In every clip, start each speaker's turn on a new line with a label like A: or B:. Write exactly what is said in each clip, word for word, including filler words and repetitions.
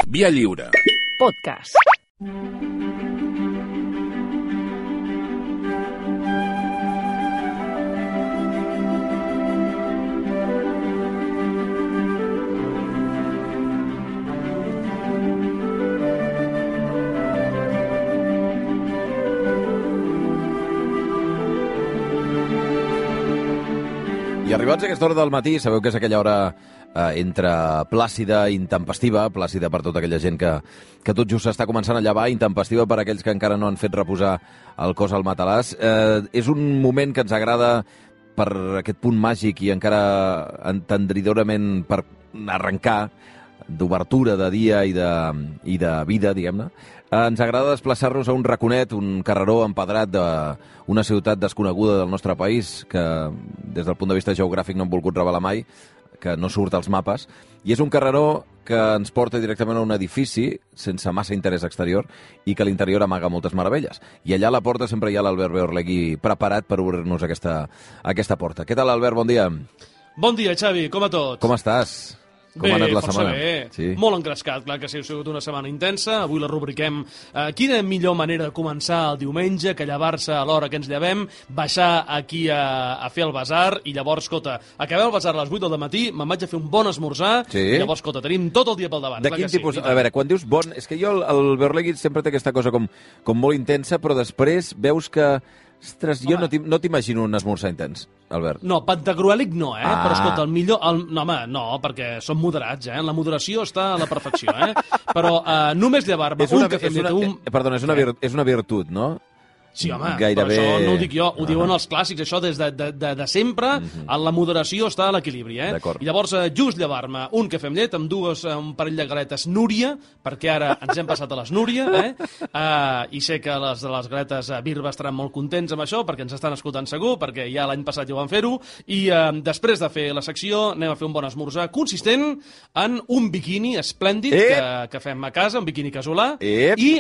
A: Via Lliure.
B: Podcast.
C: I arribats a aquesta hora del matí, sabeu que és aquella hora eh, entre plàcida i intempestiva, plàcida per tota aquella gent que, que tot just s'està començant a llevar, intempestiva per aquells que encara no han fet reposar el cos al matalàs. Eh, és un moment que ens agrada per aquest punt màgic i encara entendridorament per arrencar d'obertura de dia i de, i de vida, diguem-ne. Eh, ens agrada desplaçar-nos a un raconet, un carreró empedrat d'una ciutat desconeguda del nostre país, que des del punt de vista geogràfic no hem volgut revelar mai, que no surt als mapes, i és un carreró que ens porta directament a un edifici sense massa interès exterior i que a l'interior amaga moltes meravelles. I allà a la porta sempre hi ha l'Albert Beorlegui preparat per obrir-nos aquesta, aquesta porta. Què tal, Albert? Bon dia.
D: Bon dia, Xavi. Com a tots?
C: Com estàs? Com
D: bé,
C: ha anat la
D: força
C: setmana?
D: bé.
C: Sí.
D: Molt engrescat, clar que sí, ha sigut una setmana intensa. Avui la rubriquem eh, quina millor manera de començar el diumenge que llevar-se a l'hora que ens llevem, baixar aquí a, a fer el basar i llavors, escolta, acabem el basar a les vuit del matí, me'n vaig a fer un bon esmorzar
C: Sí.
D: i llavors, escolta, tenim tot el dia pel davant.
C: De
D: clar
C: quin
D: que sí,
C: tipus?
D: i
C: A veure, quan dius bon... És que jo, el, el Beorlegui sempre té aquesta cosa com, com molt intensa, però després veus que... Ostres, jo
D: Home.
C: no t'im- no t'imagino un esmorzar intens, Albert.
D: No, pantagruèlic no, eh?
C: Ah.
D: Però escolta, el millor... El, no, home, no, perquè som moderats, eh? La moderació està a la perfecció, eh? Però eh, només llevar-me
C: És una,
D: un cafè
C: és
D: amb
C: una,
D: llet, un...
C: eh, perdona, és una, vir, és una virtut, no?
D: Sí, home,
C: Gairebé...
D: però això no ho dic jo, ho
C: Ah.
D: diuen els clàssics, això des de, de, de, de sempre,
C: Mhm.
D: en la moderació està a l'equilibri, eh?
C: D'acord.
D: I llavors, eh, just llevar-me un cafè amb llet amb dues, eh, un parell de galetes Núria, perquè ara ens hem passat a les Núria, eh? Uh, I sé que les de les galetes uh, Birba estaran molt contents amb això, perquè ens estan escoltant segur, perquè ja l'any passat ja ho van fer-ho, i uh, després de fer la secció anem a fer un bon esmorzar consistent en un biquini esplèndid
C: Ep!
D: que, que fem a casa, un biquini casolà,
C: Ep!
D: i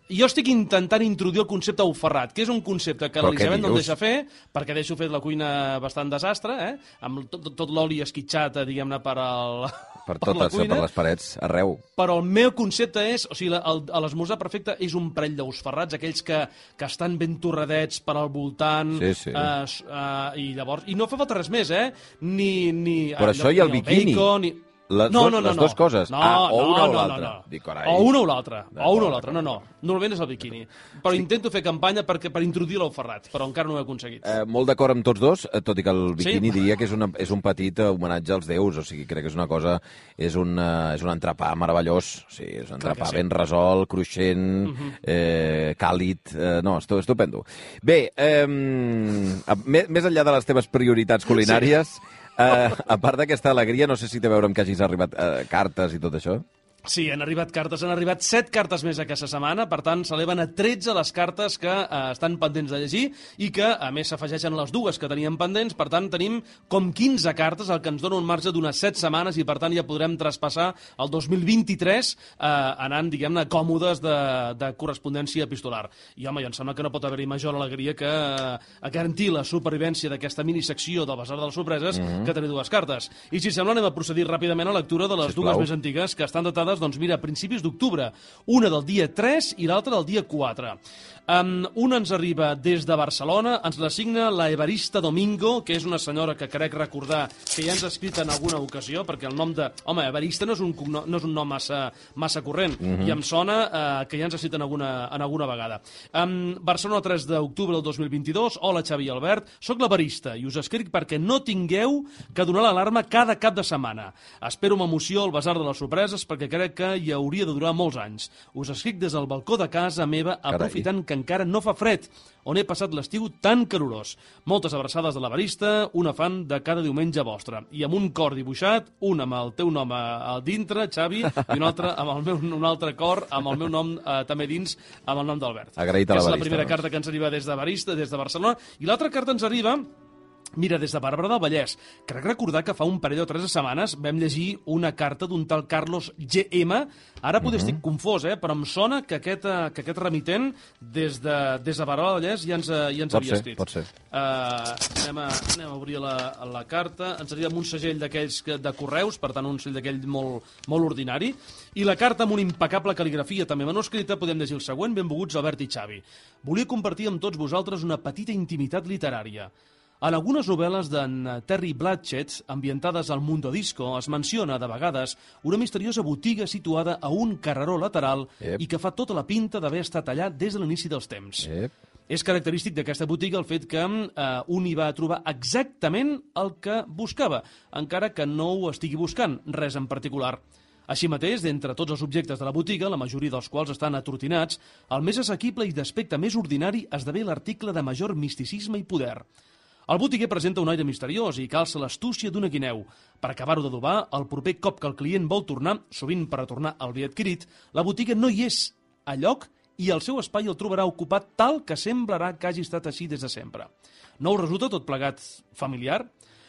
D: jo estic intentant introduir el concepte Auferrat, que és un concepte que
C: Però què
D: l'Elisabet no em
C: dius?
D: deixa fer, perquè deixo fet la cuina bastant desastre, eh? Amb tot, tot l'oli esquitxat, eh, diguem-ne, per, al,
C: Per
D: per la
C: totes,
D: cuina.
C: per les parets, arreu.
D: Però el meu concepte és, o sigui, la- el- l'esmorzar perfecte és un parell d'ous ferrats, aquells que, que estan ben torradets per al voltant,
C: Sí, sí.
D: eh, s- eh, i llavors... I no fa falta res més, eh? Ni... ni
C: Però
D: eh,
C: això i el
D: ni
C: biquini.
D: Bacon, ni...
C: Les
D: no,
C: dos-
D: no, no,
C: les
D: no.
C: dues coses.
D: No,
C: Ah, o
D: no,
C: una o
D: no,
C: l'altra.
D: No, no.
C: Dic, carai.
D: O una o l'altra. O
C: D'acord,
D: una o l'altra. No, no. Normalment és el biquini. Però intento fer campanya perquè, per introduir l'ou ferrat, però encara no ho he aconseguit.
C: Eh, molt d'acord amb tots dos, eh, tot i que el biquini
D: Sí?
C: diria que és, una, és un petit eh, homenatge als déus, o sigui, crec que és una cosa, és un, eh, és un entrepà meravellós, sí, és un
D: Clar que
C: entrepà
D: sí.
C: ben resolt, cruixent, eh, càlid, eh, no, estu- estupendo. Bé, eh, més, més enllà de les teves prioritats culinàries, eh, a part d'aquesta alegria, no sé si té a veure amb que hagis arribat eh, cartes i tot això.
D: Sí, han arribat cartes, han arribat set cartes més aquesta setmana, per tant, s'eleven a tretze les cartes que eh, estan pendents de llegir i que, a més, s'afegeixen les dues que teníem pendents, per tant, tenim com quinze cartes, el que ens dona un marge d'unes set setmanes i, per tant, ja podrem traspassar el dos mil vint-i-tres eh, anant, diguem-ne, còmodes de, de correspondència epistolar. I, home, jo em sembla que no pot haver-hi major alegria que eh, garantir la supervivència d'aquesta minisecció del Basar de les Sorpreses mm-hmm. que tenir dues cartes. I, si sembla, anem a procedir ràpidament a la lectura de les
C: Sisplau.
D: dues més antigues que estan datades, doncs mira, a principis d'octubre, una del dia tres i l'altra del dia quatre. Um, una ens arriba des de Barcelona, ens la signa la Evarista Domingo, que és una senyora que crec recordar que ja ens ha escrit en alguna ocasió, perquè el nom de... Home, Evarista no és un, cogno- no és un nom massa, massa corrent, mm-hmm. i em sona uh, que ja ens ha escrit en alguna, en alguna vegada. Um, Barcelona, tres d'octubre del dos mil vint-i-dos. Hola, Xavi i Albert, soc l'Evarista i us escric perquè no tingueu que donar l'alarma cada cap de setmana. Espero amb emoció el Basar de les Sorpreses perquè crec que hi hauria de durar molts anys. Us escric des del balcó de casa meva, aprofitant que encara no fa fred, on he passat l'estiu tan calorós. Moltes abraçades de l'Evarista, una fan de cada diumenge vostre. I amb un cor dibuixat, un amb el teu nom a, a dintre, Xavi, i un altre amb el meu, un altre cor amb el meu nom eh, també dins, amb el nom d'Albert.
C: Agraït a
D: Que és la
C: l'Evarista,
D: primera
C: doncs.
D: carta que ens arriba des de Evarista, des de Barcelona. I l'altra carta ens arriba Mira, des de Barberà del Vallès, crec recordar que fa un parell o tres de setmanes vam llegir una carta d'un tal Carlos G M. Ara potser estic confós, eh? Però em sona que aquest, eh, que aquest remitent des de, des de Barberà del Vallès ja ens, eh, ja ens
C: Pot
D: havia
C: ser,
D: escrit.
C: pot ser.
D: Uh, anem, a, anem a obrir la, la carta. Ens arriba amb un segell d'aquells que- de correus, per tant, un segell d'aquell molt, molt ordinari. I la carta amb una impecable cal·ligrafia també manuscrita, podem llegir el següent: benvinguts Albert i Xavi. Volia compartir amb tots vosaltres una petita intimitat literària. En algunes novel·les d'en Terry Pratchett, ambientades al Mundo Disco, es menciona, de vegades, una misteriosa botiga situada a un carreró lateral
C: Ep.
D: i que fa tota la pinta d'haver estat allà des de l'inici dels temps.
C: Ep.
D: És característic d'aquesta botiga el fet que eh, un hi va trobar exactament el que buscava, encara que no ho estigui buscant, res en particular. Així mateix, d'entre tots els objectes de la botiga, la majoria dels quals estan atrotinats, el més assequible i d'aspecte més ordinari esdevé l'article de major misticisme i poder. El botiguer presenta un aire misteriós i calça l'astúcia d'una guineu. Per acabar-ho d'adobar, el proper cop que el client vol tornar, sovint per retornar el bé adquirit, la botiga no hi és a lloc i el seu espai el trobarà ocupat tal que semblarà que hagi estat així des de sempre. No us resulta tot plegat familiar?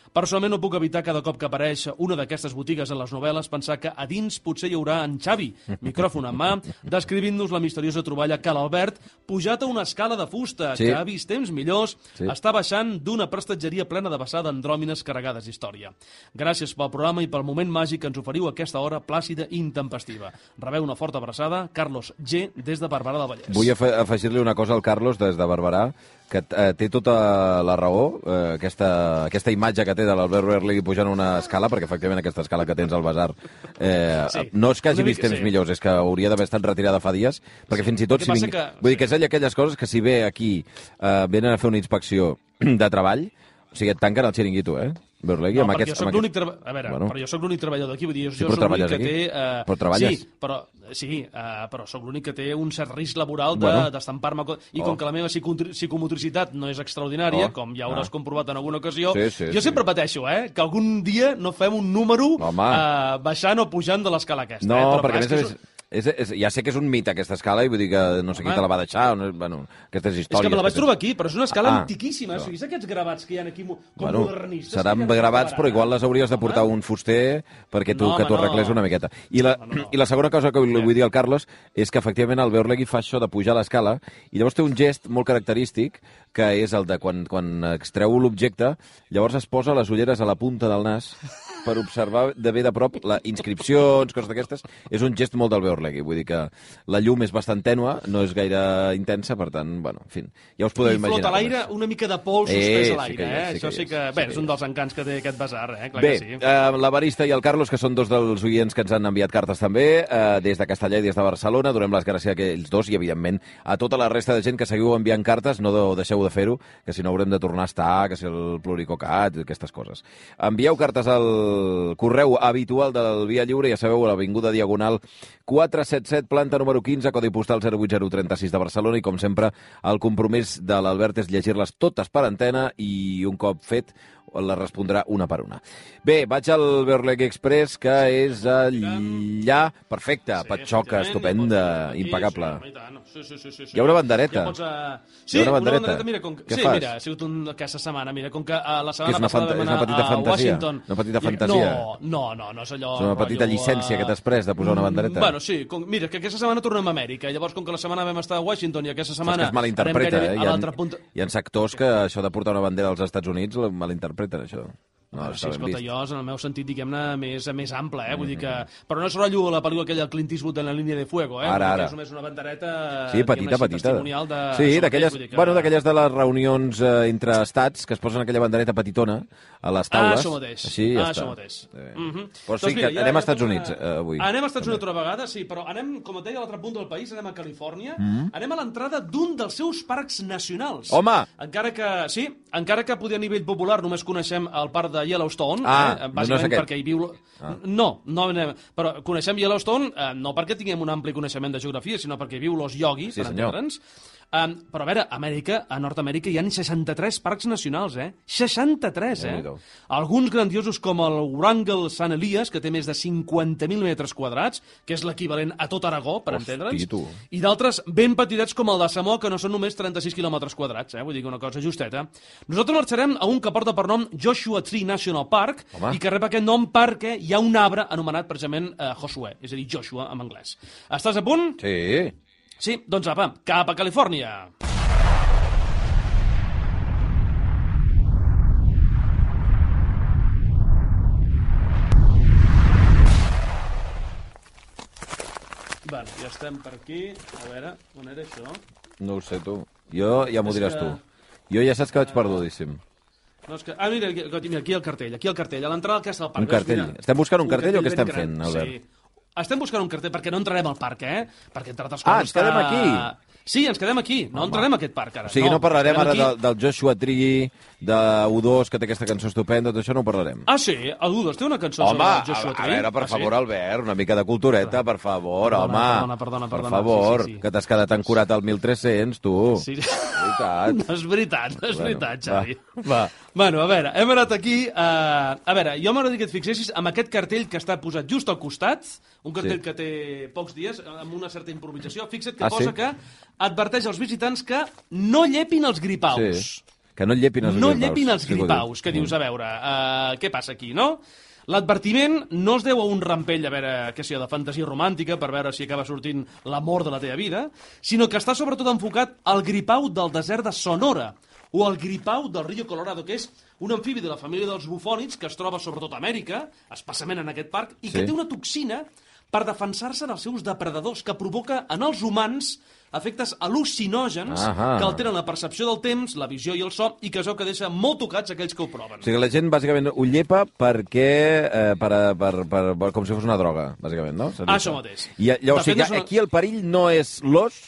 D: Personalment no puc evitar cada cop que apareix una d'aquestes botigues en les novel·les pensar que a dins potser hi haurà en Xavi, micròfon en mà, descrivint-nos la misteriosa troballa que l'Albert, pujat a una escala de fusta,
C: Sí.
D: que ha vist temps millors,
C: Sí.
D: està baixant d'una prestatgeria plena de vessar d'andròmines carregades d'història. Gràcies pel programa i pel moment màgic que ens oferiu a aquesta hora plàcida i intempestiva. Rebeu una forta abraçada, Carlos G, des de Barberà del Vallès.
C: Vull afe- afegir-li una cosa al Carlos des de Barberà, que eh, té tota la raó, eh, aquesta, aquesta imatge que té de l'Albert Berlegui pujant una escala, perquè efectivament aquesta escala que tens al Basar eh,
D: Sí.
C: no és que hagi
D: Una
C: vist
D: mica,
C: temps
D: sí.
C: millors, és que hauria d'haver estat retirada fa dies, perquè fins i tot...
D: El que
C: Si
D: passa
C: ving...
D: que-
C: Vull dir que és allà aquelles coses que si ve aquí eh, venen a fer una inspecció de treball, o sigui, et tanquen el xiringuito, eh? Berlegui,
D: No,
C: amb
D: perquè
C: aquests,
D: jo soc
C: amb
D: l'únic
C: aquests...
D: treba... A veure,
C: Bueno.
D: però jo sóc l'únic treballador d'aquí, vull dir, jo,
C: Sí,
D: jo
C: però
D: sóc l'únic
C: treballes
D: que
C: aquí?
D: té... Eh...
C: Però treballes?
D: Sí, però, sí, eh, però sóc l'únic que té un cert risc laboral de-
C: Bueno.
D: d'estampar-me... co- I
C: Oh.
D: com que la meva psicotri- psicomotricitat no és extraordinària,
C: Oh.
D: com ja hauràs
C: Ah.
D: comprovat en alguna ocasió,
C: Sí, sí,
D: jo
C: sí.
D: sempre pateixo, eh, que algun dia no fem un número
C: Home.
D: eh, baixant o pujant de l'escala aquesta.
C: No,
D: eh? Però,
C: perquè
D: clar,
C: a
D: és
C: més,
D: que
C: a més és, és, ja sé que és un mit aquesta escala i vull dir que no sé qui
D: Home.
C: te la va deixar, o no, bueno, aquestes
D: És
C: històries.
D: que me la vaig
C: tens.
D: trobar aquí, però és una escala
C: Ah,
D: antiquíssima.
C: això.
D: O sigui, és aquests gravats que hi ha aquí mo- com
C: Bueno,
D: modernistes.
C: seran
D: que ja no
C: gravats,
D: trobaran,
C: però igual
D: eh?
C: les hauries de portar
D: Home.
C: un fuster perquè tu,
D: No,
C: que
D: home,
C: t'ho
D: no.
C: arregles una miqueta. I la,
D: Home, no.
C: I la segona cosa que li vull dir al Carlos és que efectivament el Berlegui fa això de pujar l'escala i llavors té un gest molt característic que és el de quan, quan extreu l'objecte, llavors es posa les ulleres a la punta del nas per observar de bé de prop les inscripcions, coses d'aquestes. És un gest molt del Berlegui, vull dir que la llum és bastant tènua, no és gaire intensa, per tant, bueno, en fi, ja us podeu
D: I
C: imaginar.
D: flota a
C: com
D: l'aire
C: és.
D: una mica de pols
C: Eh,
D: suspès
C: sí
D: a l'aire,
C: que hi és,
D: eh?
C: sí que
D: Això
C: hi
D: sí
C: és,
D: que...
C: sí
D: Bé,
C: que
D: és
C: hi
D: un
C: és.
D: dels encants que té aquest basar, eh? Clar
C: Bé,
D: que sí.
C: eh, l'Evarista i el Carlos, que són dos dels oients que ens han enviat cartes també, eh, des de Castellà i des de Barcelona, donem les gràcies a aquells dos i, evidentment, a tota la resta de gent que seguiu enviant cartes, no de, deixeu de fer-ho, que si no haurem de tornar a estar, que si el pluricocat, aquestes coses. Envieu cartes al correu habitual del Via Lliure, ja sabeu, a l'Avinguda Diagonal quatre set set, planta número quinze, codi postal zero vuit zero tres sis de Barcelona, i com sempre, el compromís de l'Albert és llegir-les totes per antena i un cop fet la respondrà una per una. Bé, vaig al Berlegui Express, que és allà... Perfecte,
D: Sí,
C: patxoca,
D: efectivament,
C: estupenda,
D: ja pots venir aquí,
C: impecable.
D: Sí, home, i tant. Sí, sí, sí, sí, sí.
C: Hi ha una bandereta.
D: Ja pots, uh... Sí,
C: Hi ha una
D: una
C: bandereta.
D: bandereta. Mira, com...
C: Què
D: sí,
C: fas?
D: mira, ha sigut un... aquesta setmana. Mira, com que uh, la
C: Que és
D: setmana
C: una
D: passada
C: fanta-
D: vam
C: és una
D: anar
C: petita
D: a
C: fantasia?
D: Washington.
C: Una petita
D: I-
C: fantasia?
D: No, no, no, no és allò...
C: És una petita
D: rotllo,
C: llicència
D: uh,
C: que t'has pres de posar una bandereta?
D: Bueno, sí. Com... Mira, que aquesta setmana tornem a Amèrica. Llavors, com que la setmana vam estar a Washington i aquesta
C: Saps
D: setmana...
C: que es malinterpreta,
D: anem
C: eh?
D: gairebé
C: Hi
D: a
C: ha,
D: l'altra punta...
C: hi ha sectors que això de portar una bandera als Estats Units la malinterpreten, això. No,
D: No,
C: està
D: sí,
C: ben
D: escolta,
C: vist.
D: jo és en el meu sentit, diguem-ne, més, més ample, eh? Vull dir que... Però no és rotllo la pel·lícula aquella del Clint Eastwood en la línia de fuego, eh?
C: Ara,
D: Vull dir que
C: ara.
D: És només una bandereta...
C: Sí, petita,
D: diguem-ne així,
C: petita.
D: testimonial de...
C: Sí,
D: això
C: d'aquelles
D: mateix, vull dir que-
C: bueno, d'aquelles de les reunions eh, entre estats que es posen aquella bandereta petitona a les
D: Ah,
C: taules.
D: això mateix.
C: Així ja
D: ah,
C: està.
D: això mateix.
C: Eh,
D: Mhm.
C: Però sí
D: Doncs mira,
C: que
D: ja-
C: anem
D: ja
C: a Estats
D: torna-
C: Units eh, avui.
D: Anem a Estats
C: també.
D: Units una altra vegada, sí, però anem, com et deia, a l'altre punt del país, anem a Califòrnia,
C: Mm.
D: anem a l'entrada d'un dels seus parcs nacionals.
C: Home!
D: Encara que, sí, encara que poder a nivell popular només coneixem el parc de Yellowstone,
C: Ah,
D: eh,
C: no és
D: bàsicament
C: aquest.
D: perquè hi viu...
C: Ah.
D: No, no anem... Però coneixem Yellowstone eh, no perquè tinguem un ampli coneixement de geografia, sinó perquè hi viu l'os Yogi,
C: Sí,
D: per
C: senyor.
D: entendre'ns. Um, però a veure, a Amèrica, a Nord-Amèrica hi ha seixanta-tres parcs nacionals, eh? seixanta-tres, eh? Alguns grandiosos com el Wrangell Sant Elias, que té més de cinquanta mil metres quadrats, que és l'equivalent a tot Aragó, per entendre'ns, i d'altres ben petitets com el de Samoa, que no són només trenta-sis quilòmetres quadrats, eh? Vull dir que una cosa justeta. Nosaltres marxarem a un que porta per nom Joshua Tree National Park, Home. i que rep aquest nom perquè hi ha un arbre anomenat precisament eh, Josué, és a dir, Joshua en anglès. Estàs a punt?
C: Sí.
D: Sí, doncs apa, cap a Califòrnia. Bueno, ja estem per aquí. A veure, on era això?
C: No ho sé, tu. Jo ja m'ho diràs que... tu. Jo ja saps que vaig perdudíssim.
D: No, és que... Ah, mira, mira, aquí el cartell, aquí el cartell, a l'entrada del Castle Park.
C: Un cartell. Mira. Estem buscant un, un cartell, cartell o què estem fent, Albert?
D: Sí. Estem buscant un cartell perquè no entrarem al parc, eh? Perquè, entre altres coses...
C: Ah, ens quedem aquí?
D: Sí, ens quedem aquí. No Home. entrarem a aquest parc, ara.
C: O sigui, no, no parlarem ara
D: del,
C: del Joshua Tree, de U dos, que té aquesta cançó estupenda, tot això no ho parlarem.
D: Ah, sí? El U dos té una cançó
C: home,
D: sobre el Joshua Tree?
C: Home, a veure, per
D: ah,
C: favor,
D: sí?
C: Albert, una mica de cultureta, per favor,
D: perdona,
C: home.
D: Perdona, perdona,
C: per
D: perdona.
C: favor,
D: sí, sí, sí.
C: que t'has quedat ancorat al mil tres-cents, tu.
D: Sí, sí.
C: No
D: és veritat, no és bueno, veritat, Xavi.
C: Va, va.
D: Bueno, a veure, hem anat aquí... Uh, a veure, jo m'agradaria que et fixessis amb aquest cartell que està posat just al costat, un cartell sí. que té pocs dies, amb una certa improvisació. Fixa't que
C: ah,
D: posa
C: sí?
D: que adverteix als visitants que no llepin els gripaus.
C: Sí. Que no llepin els
D: no
C: gripaus.
D: No llepin els gripaus, que dius, a veure, uh, què passa aquí, no? L'advertiment no es deu a un rampell, a veure, què sé, de fantasia romàntica, per veure si acaba sortint l'amor de la teva vida, sinó que està sobretot enfocat al gripau del desert de Sonora, o al gripau del Rio Colorado, que és un amfibi de la família dels bufònids que es troba sobretot a Amèrica, especialment en aquest parc, i que sí. té una toxina per defensar-se dels seus depredadors, que provoca en els humans efectes al·lucinògens Ahà. que alteren la percepció del temps, la visió i el so, i que és el que deixa molt tocats aquells que ho proven.
C: O sigui, la gent bàsicament ho llepa perquè... Eh, per, per, per, per, com si fos una droga, bàsicament, no?
D: Ah, això mateix.
C: I, llavors, o sigui, una... aquí el perill no és l'os,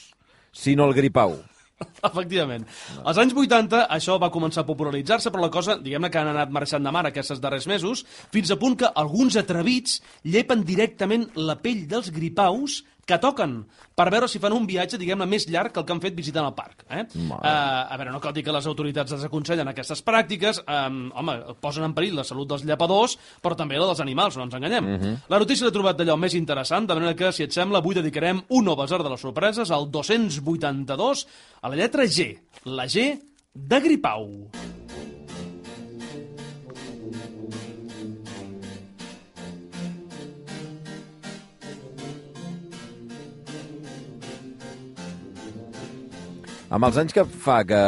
C: sinó el gripau.
D: Efectivament. No. Als anys vuitanta això va començar a popularitzar-se, però la cosa, diguem-ne que han anat marxant de mar aquests darrers mesos, fins a punt que alguns atrevits llepen directament la pell dels gripaus que toquen, per veure si fan un viatge, diguem-ne, més llarg que el que han fet visitant el parc. Eh? Uh, a veure, no cal dir que les autoritats desaconsellen aquestes pràctiques, um, home, posen en perill la salut dels llepadors, però també la dels animals, no ens enganyem. Uh -huh. La notícia l'he trobat d'allò més interessant, de manera que, si et sembla, avui dedicarem un nou basar de les sorpreses, al dos-cents vuitanta-dos, a la lletra G, la G de gripau.
C: Amb els anys que fa que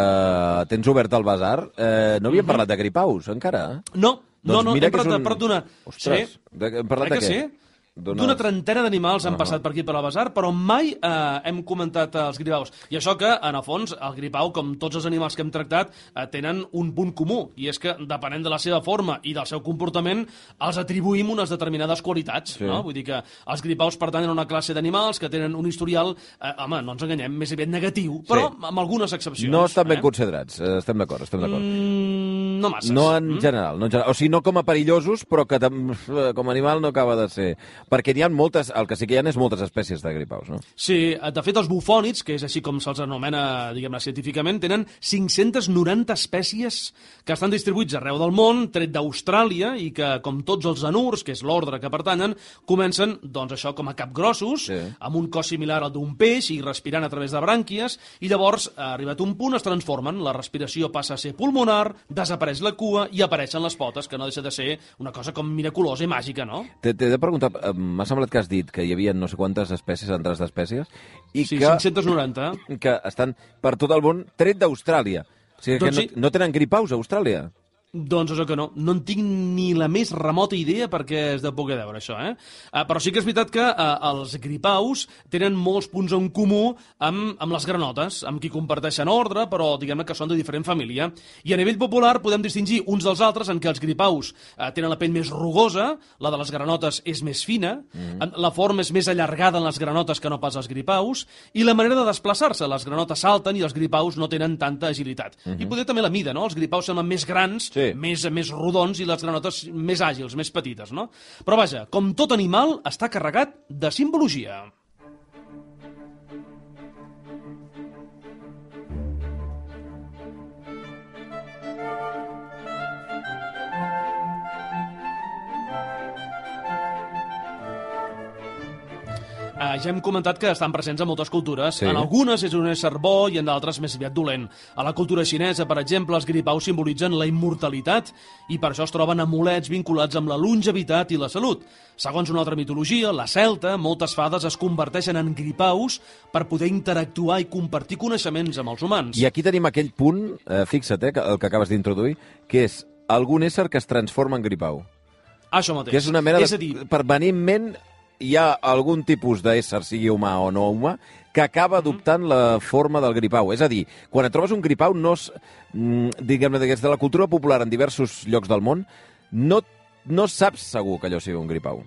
C: tens obert el basar, eh, no havíem parlat de gripaus, encara?
D: No,
C: doncs
D: no, no,
C: mira
D: hem parlat
C: un...
D: d'una...
C: Ostres,
D: sí.
C: de, hem parlat de què?
D: Sí? D'una trentena d'animals han uh -huh. passat per aquí per al basar, però mai eh, hem comentat els gripaus. I això que, en el fons, el gripau, com tots els animals que hem tractat, eh, tenen un punt comú, i és que, depenent de la seva forma i del seu comportament, els atribuïm unes determinades qualitats. Sí. No? Vull dir que els gripaus pertanyen a una classe d'animals que tenen un historial, eh, home, no ens enganyem, més aviat negatiu, però sí. amb algunes excepcions.
C: No estan ben
D: eh?
C: considerats, eh, estem d'acord, estem d'acord.
D: Mm, no masses.
C: No en, mm? general, no en general, o sigui, no com a perillosos, però que com a animal no acaba de ser... Perquè n'hi ha moltes, el que sí que hi ha és moltes espècies de gripaus, no?
D: Sí, de fet els bufònids, que és així com se'ls anomena, diguem-ne, científicament, tenen cinc-centes noranta espècies que estan distribuïts arreu del món, tret d'Austràlia, i que, com tots els anurs, que és l'ordre que pertanyen, comencen, doncs això, com a capgrossos, sí. amb un cos similar al d'un peix i respirant a través de brànquies, i llavors, arribat a un punt, es transformen, la respiració passa a ser pulmonar, desapareix la cua i apareixen les potes, que no deixa de ser una cosa com miraculosa i màgica, no?
C: T'he de preguntar, m'ha semblat que has dit que hi havia no sé quantes espècies, centenars d'espècies, i
D: sí,
C: que,
D: cinc-centes noranta.
C: que estan per tot el món, tret d'Austràlia. O sigui, doncs que sí. no, no tenen gripaus a Austràlia.
D: Doncs això que no. No en tinc ni la més remota idea perquè és de poder veure, això, eh? Uh, però sí que és veritat que uh, els gripaus tenen molts punts en comú amb, amb les granotes, amb qui comparteixen ordre, però diguem-ne que són de diferent família. I a nivell popular podem distingir uns dels altres en què els gripaus uh, tenen la pell més rugosa, la de les granotes és més fina, mm-hmm. la forma és més allargada en les granotes que no pas els gripaus, i la manera de desplaçar-se. Les granotes salten i els gripaus no tenen tanta agilitat. Mm-hmm. I poder també la mida, no? Els gripaus semblen més grans, sí. Més, més rodons, i les granotes més àgils, més petites, no? Però vaja, com tot animal, està carregat de simbologia. Uh, ja hem comentat que estan presents a moltes cultures.
C: Sí.
D: En algunes és un ésser bo i en d'altres més aviat dolent. A la cultura xinesa, per exemple, els gripaus simbolitzen la immortalitat i per això es troben amulets vinculats amb la longevitat i la salut. Segons una altra mitologia, la celta, moltes fades es converteixen en gripaus per poder interactuar i compartir coneixements amb els humans.
C: I aquí tenim aquell punt, eh, fixa't, eh, el que acabes d'introduir, que és algun ésser que es transforma en gripau.
D: Això mateix.
C: Que és una mena de...
D: És a dir,
C: permanentment hi ha algun tipus d'ésser, sigui humà o no humà, que acaba adoptant la forma del gripau. És a dir, quan et trobes un gripau, no és, diguem-ne, des de la cultura popular en diversos llocs del món, no, no saps segur que allò sigui un gripau.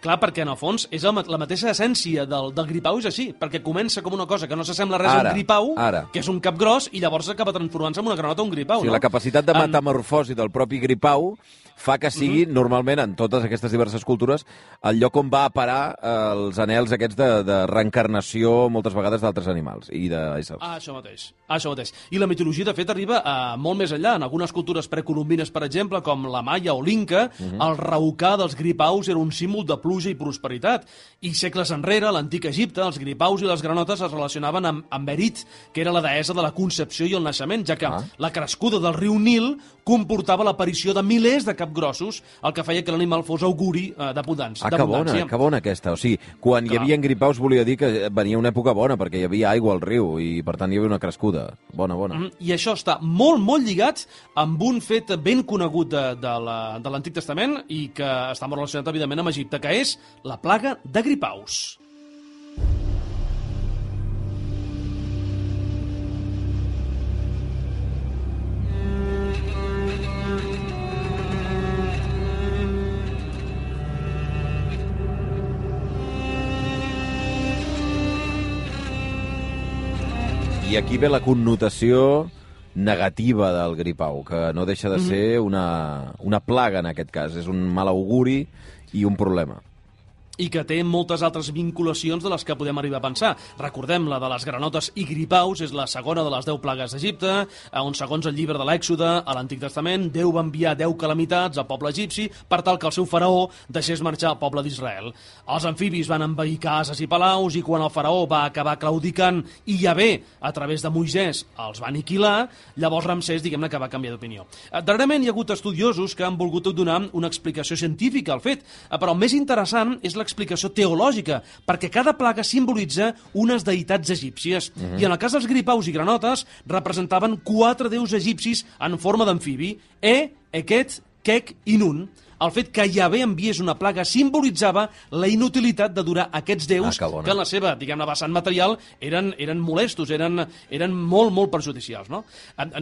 D: clar, perquè en el fons és el, la mateixa essència del, del gripau és així, perquè comença com una cosa que no s'assembla res
C: ara,
D: a un gripau,
C: ara.
D: que és un cap gros, i llavors acaba transformant-se en una granota o un gripau,
C: O sigui,
D: no?
C: la capacitat de metamorfosi del propi gripau fa que sigui, uh-huh. normalment, en totes aquestes diverses cultures, el lloc on va a parar eh, els anels aquests de, de reencarnació, moltes vegades, d'altres animals i d'éssers.
D: Ah, això mateix. Ah, això mateix. I la mitologia, de fet, arriba a molt més enllà. En algunes cultures precolombines, per exemple, com la maia o l'inca, uh-huh. el raucar dels gripaus era un símbol de pluja i prosperitat. I segles enrere, a l'antic Egipte, els gripaus i les granotes es relacionaven amb, amb Erit, que era la deessa de la concepció i el naixement, ja que ah. la crescuda del riu Nil comportava l'aparició de milers de capgrossos, el que feia que l'animal fos auguri eh, d'abundància.
C: Ah, que bona, que bona aquesta. O sigui, quan Clar. hi havia gripaus volia dir que venia una època bona, perquè hi havia aigua al riu i, per tant, hi havia una crescuda. Bona, bona.
D: Mm, I això està molt, molt lligat amb un fet ben conegut de, de l'Antic la, Testament i que està molt relacionat, evidentment, amb Egipte, que és la plaga de gripaus.
C: I aquí ve la connotació negativa del gripau, que no deixa de ser una, una plaga en aquest cas. És un mal auguri i un problema.
D: I que té moltes altres vinculacions de les que podem arribar a pensar. Recordem, la de les granotes i gripaus és la segona de les deu plagues d'Egipte, on, segons el llibre de l'Èxode, a l'Antic Testament, Déu va enviar deu calamitats al poble egipci per tal que el seu faraó deixés marxar el poble d'Israel. Els amfibis van envair cases i palaus, i quan el faraó va acabar claudicant i Yahvé, a través de Moisès, els va aniquilar, llavors Ramsès, diguem-ne, que va canviar d'opinió. Darrerament hi ha hagut estudiosos que han volgut donar una explicació científica al fet, però el més interessant és la explicació teològica, perquè cada plaga simbolitza unes deïtats egípcies. Uh-huh. I en el cas dels gripaus i granotes representaven quatre déus egipcis en forma d'amfibi: E, Eket, Kek i Nun. El fet que Yahvé enviés una plaga simbolitzava la inutilitat de durar aquests déus ah, que, que en la seva, diguem-ne, vessant material eren, eren molestos, eren, eren molt, molt perjudicials, no?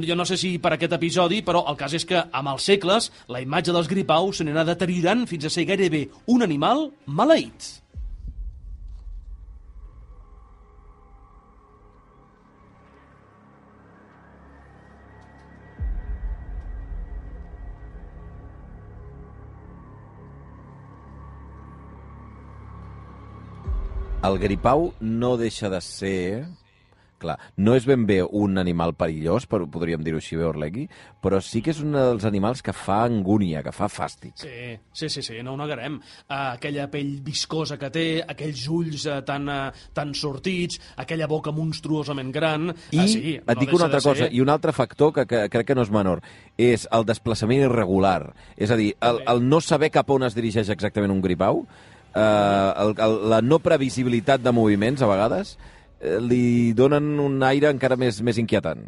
D: Jo no sé si per aquest episodi, però el cas és que amb els segles la imatge dels gripaus s'anirà deteriorant fins a ser gairebé un animal maleït.
C: El gripau no deixa de ser... Clar, no és ben bé un animal perillós, però podríem dir-ho així bé, Orlegui, però sí que és un dels animals que fa angúnia, que fa fàstic.
D: Sí, sí, sí, sí, no ho negarem. Uh, aquella pell viscosa que té, aquells ulls uh, tan, uh, tan sortits, aquella boca monstruosament gran...
C: I
D: uh, sí,
C: et dic una altra cosa, i un altre factor que, que crec que no és menor, és el desplaçament irregular. És a dir, el, el no saber cap on es dirigeix exactament un gripau, uh, el, el, la no previsibilitat de moviments, a vegades, li donen un aire encara més, més inquietant.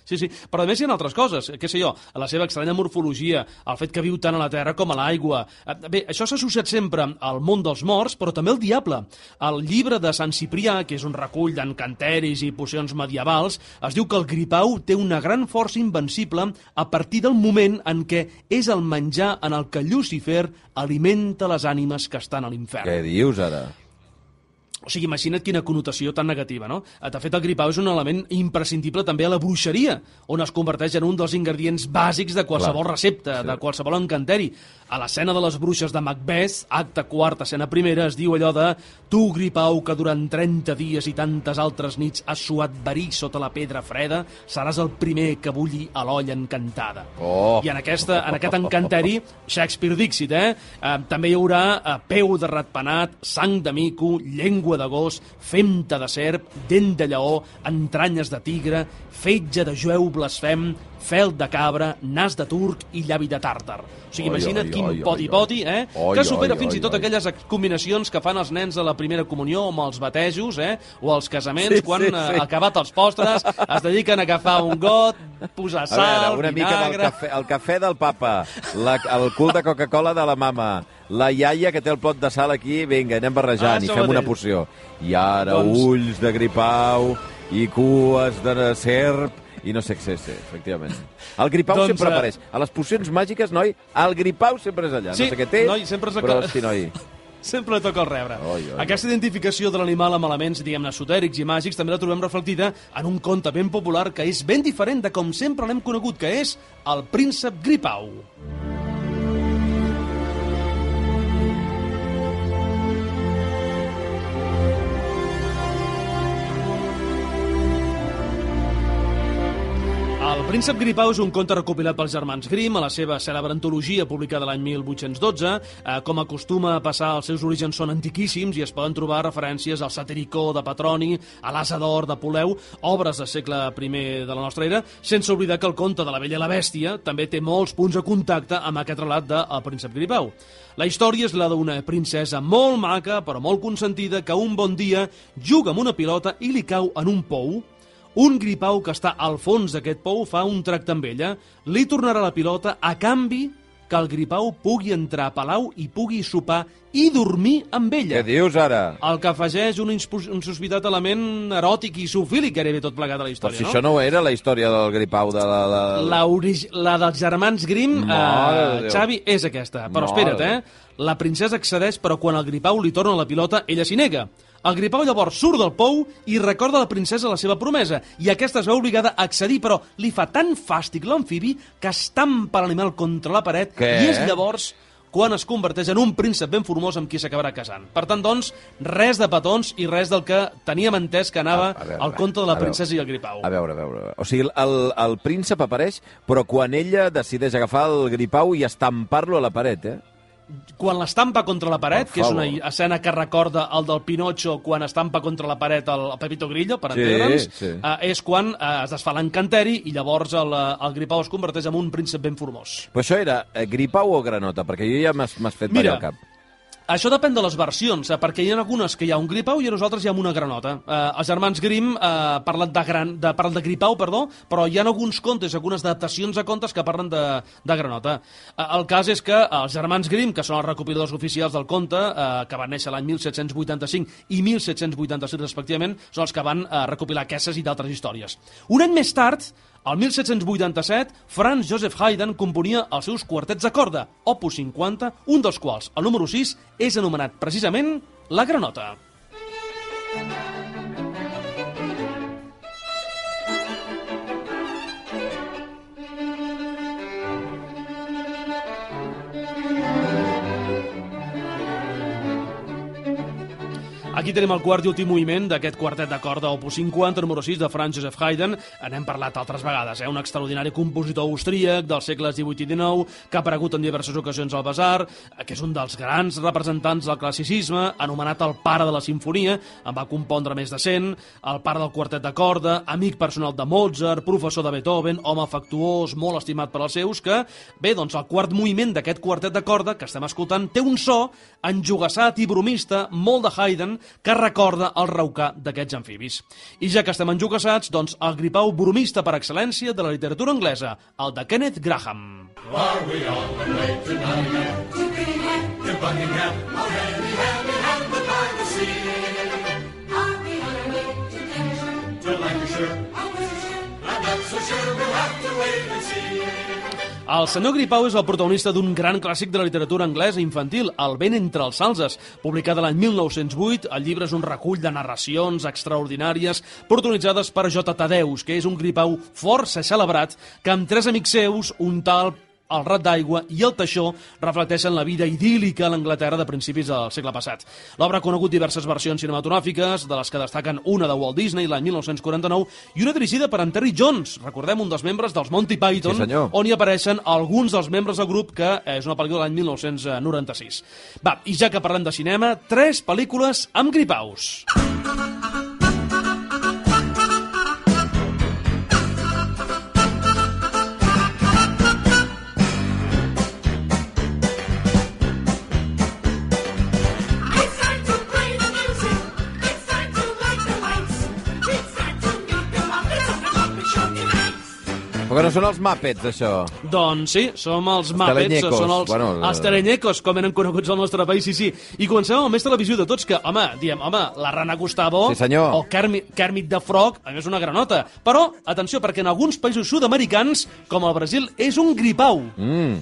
D: Sí, sí, però a més hi ha altres coses, què sé jo, la seva estranya morfologia, el fet que viu tant a la terra com a l'aigua. Bé, això s'ha associat sempre al món dels morts, però també al diable. El llibre de Sant Ciprià, que és un recull d'encanteris i pocions medievals, es diu que el gripau té una gran força invencible a partir del moment en què és el menjar en el que Llucifer alimenta les ànimes que estan a l'infern.
C: Què dius, ara?
D: O sigui, imagina't quina connotació tan negativa, no? De fet, el gripau és un element imprescindible també a la bruixeria, on es converteix en un dels ingredients bàsics de qualsevol Clar. recepta, sí. de qualsevol encanteri. A l'escena de les bruixes de Macbeth, acte quart, escena primera, es diu allò de tu, gripau, que durant trenta dies i tantes altres nits has suat verí sota la pedra freda, seràs el primer que bulli a l'olla encantada.
C: Oh.
D: I en, aquesta, en aquest encanteri, Shakespeare Dixit, eh? eh també hi haurà eh, peu de ratpenat, sang de mico, llengua de gos, femta de serp, dent de lleó, entranyes de tigre, fetge de jueu blasfem, fel de cabra, nas de turc i llavi de tàrtar. O sigui,
C: oi,
D: imagina't
C: oi,
D: quin
C: oi,
D: poti-poti, eh?
C: Oi,
D: que supera
C: oi,
D: fins
C: oi,
D: i tot
C: oi.
D: aquelles combinacions que fan els nens a la primera comunió o amb els batejos, eh? O als casaments,
C: Sí,
D: quan
C: sí,
D: eh,
C: sí.
D: acabat els postres, es dediquen a agafar un got, posar
C: A
D: sal,
C: veure, una mica del
D: vinagre...
C: cafè, el cafè del papa, la, el cul de Coca-Cola de la mama, la iaia que té el plot de sal aquí, vinga, anem barrejant
D: Ah,
C: i
D: això
C: fem una
D: mateix.
C: poció. I ara
D: Doncs-
C: ulls de gripau i cues de serp i no sé què sé, efectivament. El gripau
D: Doncs,
C: sempre
D: eh,
C: apareix. A les pocions màgiques, noi, el gripau sempre és allà.
D: Sí,
C: no sé què té,
D: noi, sempre és el
C: però
D: que-
C: hosti, noi.
D: Sempre li toca el rebre.
C: Oi, oi,
D: Aquesta identificació de l'animal amb elements, diguem-ne, esotèrics i màgics també la trobem reflectida en un conte ben popular que és ben diferent de com sempre l'hem conegut, que és el príncep Gripau. El príncep Gripau és un conte recopilat pels germans Grimm a la seva cèlebre antologia publicada l'any mil vuit-cents dotze. Eh, com acostuma a passar, els seus orígens són antiquíssims i es poden trobar referències al Satiricó de Petroni, a l'Asa d'Or de Poleu, obres del segle primer de la nostra era, sense oblidar que el conte de la Bella i la Bèstia també té molts punts de contacte amb aquest relat del príncep Gripau. La història és la d'una princesa molt maca, però molt consentida, que un bon dia juga amb una pilota i li cau en un pou. Un gripau que està al fons d'aquest pou fa un tracte amb ella, li tornarà la pilota a canvi que el gripau pugui entrar a palau i pugui sopar i dormir amb ella.
C: Què dius ara?
D: El que afegeix un, un sospitat element eròtic i zoofílic gairebé tot plegat a la
C: Però
D: història,
C: si
D: no?
C: això no era la història del gripau de la... la...
D: La, origi... la dels germans Grimm,
C: Mare de
D: eh,
C: Déu.
D: Xavi, és aquesta. Però
C: Mare
D: espera't,
C: de
D: eh? La princesa accedeix, però quan el gripau li torna la pilota, ella s'hi nega. El gripau llavors surt del pou i recorda a la princesa la seva promesa, i aquesta es veu obligada a accedir, però li fa tan fàstic l'amfibi que estampa l'animal contra la paret.
C: Què?
D: I és llavors quan es converteix en un príncep ben formós amb qui s'acabarà casant. Per tant, doncs, res de petons i res del que teníem entès que anava
C: A- a veure,
D: al conte de la
C: a veure.
D: princesa i el gripau.
C: A veure, a veure. O sigui, el, el príncep apareix, però quan ella decideix agafar el gripau i estampar-lo a la paret, eh?
D: Quan l'estampa contra la paret,
C: Per
D: que és una
C: favor.
D: escena que recorda el del Pinocho quan estampa contra la paret el, el Pepito Grillo, per
C: Sí,
D: entendre'ns,
C: sí.
D: eh, és quan eh, es desfà l'encanteri i llavors el, eh, el gripau es converteix en un príncep ben formós.
C: Però això era eh, gripau o granota? Perquè jo ja m'has m'has fet
D: Mira,
C: ballar el cap.
D: Això depèn de les versions, eh, perquè hi ha algunes que hi ha un gripau i a nosaltres hi ha una granota. Eh, els germans Grimm eh, parlen, de gran, de, parlen de gripau, perdó, però hi ha alguns contes, algunes adaptacions a contes que parlen de, de granota. Eh, el cas és que els germans Grimm, que són els recopiladors oficials del conte, eh, que van néixer l'any mil set-cents vuitanta-cinc i mil set-cents vuitanta-sis respectivament, són els que van eh, recopilar aquestes i d'altres històries. Un any més tard, el mil set-cents vuitanta-set, Franz Joseph Haydn componia els seus quartets de corda, opus cinquanta, un dels quals, el número sis, és anomenat precisament la granota. Aquí tenim el quart i últim moviment d'aquest quartet de corda opus cinquanta, número sis, de Franz Joseph Haydn. N'hem parlat altres vegades, eh? Un extraordinari compositor austríac dels segles divuit i dinou, que ha aparegut en diverses ocasions al Basar, que és un dels grans representants del classicisme, anomenat el pare de la sinfonia, en va compondre més de cent, el pare del quartet de corda, amic personal de Mozart, professor de Beethoven, home afectuós, molt estimat per als seus, que, bé, doncs el quart moviment d'aquest quartet de corda que estem escoltant té un so enjogassat i bromista, molt de Haydn, que recorda el raucar d'aquests amfibis. I ja que estem enjogassats, doncs el gripau bromista per excel·lència de la literatura anglesa, el de Kenneth Graham.
A: Are we on the way to Nottingham, to Birmingham, to Buckingham, already hand in hand the privacy? Are we on our way to Lancashire, to Lancashire, or Worcestershire? I'm not so sure, we'll have to wait and see.
D: El senyor Gripau és el protagonista d'un gran clàssic de la literatura anglesa infantil, El vent entre els salzes, publicat l'any mil nou-cents vuit. El llibre és un recull de narracions extraordinàries protagonitzades per J. Tadeus, que és un gripau força celebrat que amb tres amics seus, un tal el Rat d'Aigua i el Teixó, reflecteixen la vida idíl·lica a l'Anglaterra de principis del segle passat. L'obra ha conegut diverses versions cinematogràfiques, de les que destaquen una de Walt Disney l'any mil nou-cents quaranta-nou i una dirigida per en Terry Jones, recordem, un dels membres dels Monty Python,
C: sí,
D: on hi apareixen alguns dels membres del grup, que és una pel·lícula de l'any mil nou-cents noranta-sis. Va, i ja que parlem de cinema, tres pel·lícules amb gripaus.
C: Però no són els Muppets, això.
D: Doncs sí, som els Muppets,
C: teleñecos,
D: són els,
C: bueno,
D: els teleñecos, com eren coneguts al nostre país, sí, sí. I comencem amb el més televisió de tots, que, home, diem, home, la Rana Gustavo,
C: sí, senyor.
D: o Kermit, Kermit the Frog, a més una granota. Però, atenció, perquè en alguns països sud-americans, com el Brasil, és un gripau.
C: Mm.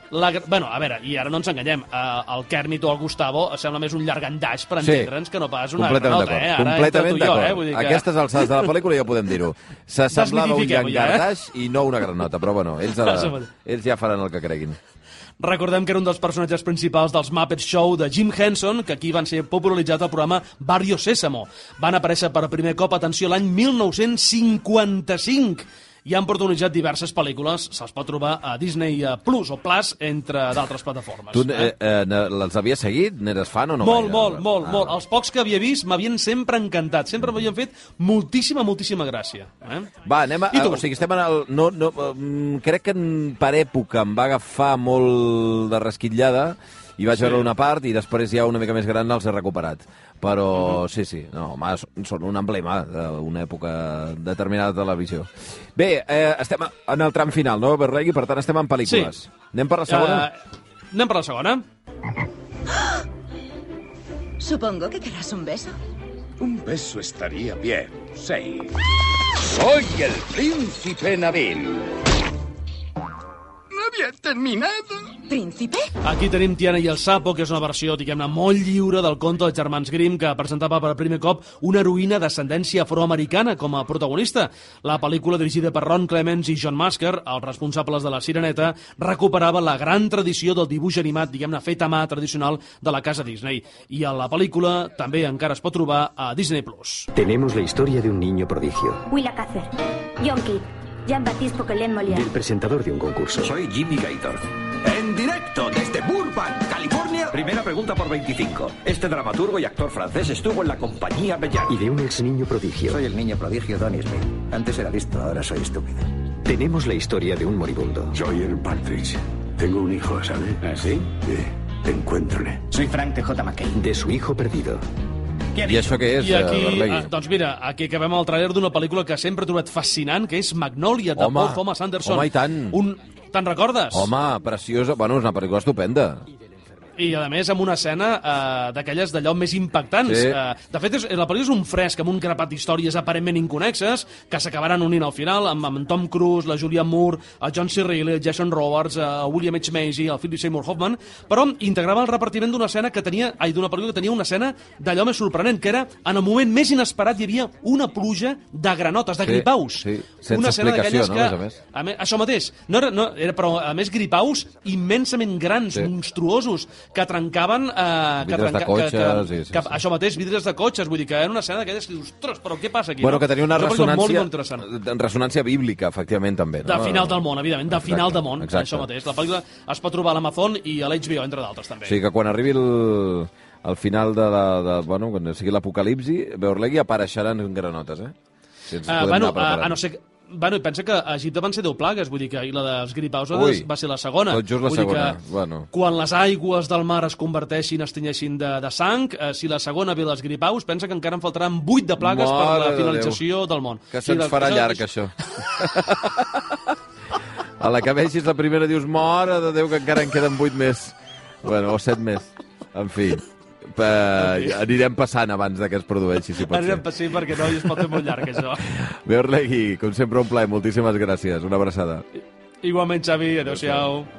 D: La, bueno, a veure, i ara no ens enganyem, uh, el Kermit o el Gustavo sembla més un llargandaix per
C: Sí.
D: entendre'ns que no pas una
C: Completament
D: granota, eh?
C: d'acord.
D: Ara
C: Completament
D: entre tu i jo,
C: d'acord.
D: eh? Vull dir que...
C: Aquestes alçades de la pel·lícula ja podem dir-ho. S'assemblava un
D: Desmitifiquem-ho ja, eh?
C: llangardaix i no una granota, però bueno, ells,
D: Això
C: a,
D: mateix.
C: ells ja faran el que creguin.
D: Recordem que era un dels personatges principals dels Muppet Show de Jim Henson, que aquí van ser popularitzat al programa Barrio Sésamo. Van aparèixer per primer cop, atenció, l'any mil nou-cents cinquanta-cinc, i han protagonitzat diverses pel·lícules. Se'ls pot trobar a Disney Plus o Plus, entre d'altres plataformes.
C: Tu
D: eh?
C: eh, eh, les havies seguit? N'eres fan o no?
D: Molt,
C: gaire?
D: molt, molt,
C: Ah.
D: molt. Els pocs que havia vist m'havien sempre encantat. Sempre m'havien fet moltíssima, moltíssima gràcia. Eh?
C: Va, anem a...
D: I tu?
C: O sigui, estem en el... No, no, mm, crec que en, per època em va agafar molt de resquitllada i vaig
D: Sí.
C: veure una part i després ja una mica més gran els he recuperat. Però sí, sí, no, home, són un emblema d'una època determinada de televisió. Bé, eh, estem en el tram final, no, Berlegui? Per tant, estem en pel·lícules.
D: Sí.
C: Anem per la segona?
D: Uh, anem per la segona.
B: Supongo que querrás un beso.
E: Un beso estaría bien, sí. Soy el príncipe Nabil. No había terminado.
B: ¿Príncipe?
D: Aquí tenim Tiana i el Sapo, que és una versió, diguem-ne, molt lliure del conte dels germans Grimm, que presentava per primer cop una heroïna d'ascendència afroamericana com a protagonista. La pel·lícula, dirigida per Ron Clements i John Musker, els responsables de La Sireneta, recuperava la gran tradició del dibuix animat, diguem-ne, fet a mà tradicional de la casa Disney. I a la pel·lícula també encara es pot trobar a Disney Plus.
F: Tenemos la historia de un niño prodigio,
G: Willa Cather, John Kidd, Jean-Baptiste Poquelin Molière.
F: del presentador de un concurso.
H: Soy Jimmy Gator.
E: En directo desde Burbank, California.
H: Primera pregunta por veinticinco. Este dramaturgo y actor francés estuvo en la compañía Bellar.
F: Y de un ex niño prodigio.
I: Soy el niño prodigio Donny Smith. Antes era listo, ahora soy estúpido.
F: Tenemos la historia de un moribundo.
E: Soy el Partridge. Tengo un hijo, ¿sabes? ¿Ah, sí? Sí. Encuéntrale.
I: Soy Frank T J. McKay.
F: De su hijo perdido.
C: I això què és,
D: I aquí,
C: eh, Berlegui?
D: eh, doncs mira, aquí acabem el tràiler d'una pel·lícula que sempre he trobat fascinant, que és Magnolia, de
C: Home,
D: Paul Thomas Anderson.
C: home, i tant.
D: Un... Te'n recordes?
C: Home, preciosa. Bueno, és una pel·lícula estupenda.
D: I, a més, amb una escena eh, d'aquelles d'allò més impactants.
C: Sí.
D: Eh, de fet, és, la pel·lícula és un fresc amb un grapat d'històries aparentment inconexes que s'acabaran unint al final amb, amb Tom Cruise, la Julianne Moore, el John C. Reilly, el Jason Robards, el William H. Macy, el Philip Seymour Hoffman, però integrava el repartiment d'una escena que tenia, ai, d'una pel·lícula que tenia una escena d'allò més sorprenent, que era, en el moment més inesperat, hi havia una pluja de granotes, de
C: Sí,
D: gripaus.
C: sí, sense
D: una escena
C: explicació,
D: d'aquelles
C: no,
D: que,
C: a més a més.
D: a més, això mateix, no era, no, era, però a més gripaus immensament grans,
C: Sí.
D: monstruosos, que trencaven... Eh, que
C: Vidres de
D: trenca,
C: cotxes,
D: que,
C: sí, sí,
D: que,
C: sí.
D: Això mateix, vidres de cotxes, vull dir que era una escena d'aquelles que dius, ostres, però què passa aquí?
C: Bueno,
D: no?
C: que tenia una
D: És pel·lícula molt,
C: ressonància,
D: molt interessant.
C: ressonància bíblica, efectivament, també. No?
D: De final del món, evidentment, de
C: Exacte,
D: final del món,
C: exacte.
D: això mateix. La pel·lícula es pot trobar a l'Amazon i a l'H B O, entre d'altres, també.
C: O sigui que quan arribi el, el final de, la, de bueno, quan sigui l'apocalipsi, Berlegui apareixeran granotes, eh? Si ens
D: Uh,
C: podem
D: bueno,
C: anar preparant.
D: a, a no ser... Bueno, i pensa que a Egipte van ser deu plagues, vull dir que i la dels gripaus
C: Ui,
D: va ser la segona.
C: tot just la
D: vull dir
C: segona,
D: que
C: bueno.
D: Quan les aigües del mar es converteixin, es tenyeixin de, de sang, eh, si la segona ve les gripaus, pensa que encara en faltaran vuit de plagues
C: Mare
D: per la
C: de
D: finalització del món.
C: Que
D: Sí,
C: se'ns
D: de-
C: farà
D: això-
C: llarg, això. A la que vegis la primera dius, mare de Déu, que encara en queden vuit més. Bueno, o set més. En fi, pa, anirem passant abans de que es produeixi, si pot
D: Anirem
C: ser.
D: sí, perquè no, i es pot fer molt llarg, això.
C: Berlegui, com sempre, un plaer. Moltíssimes gràcies. Una abraçada.
D: Igualment, Xavi. Adéu-siau.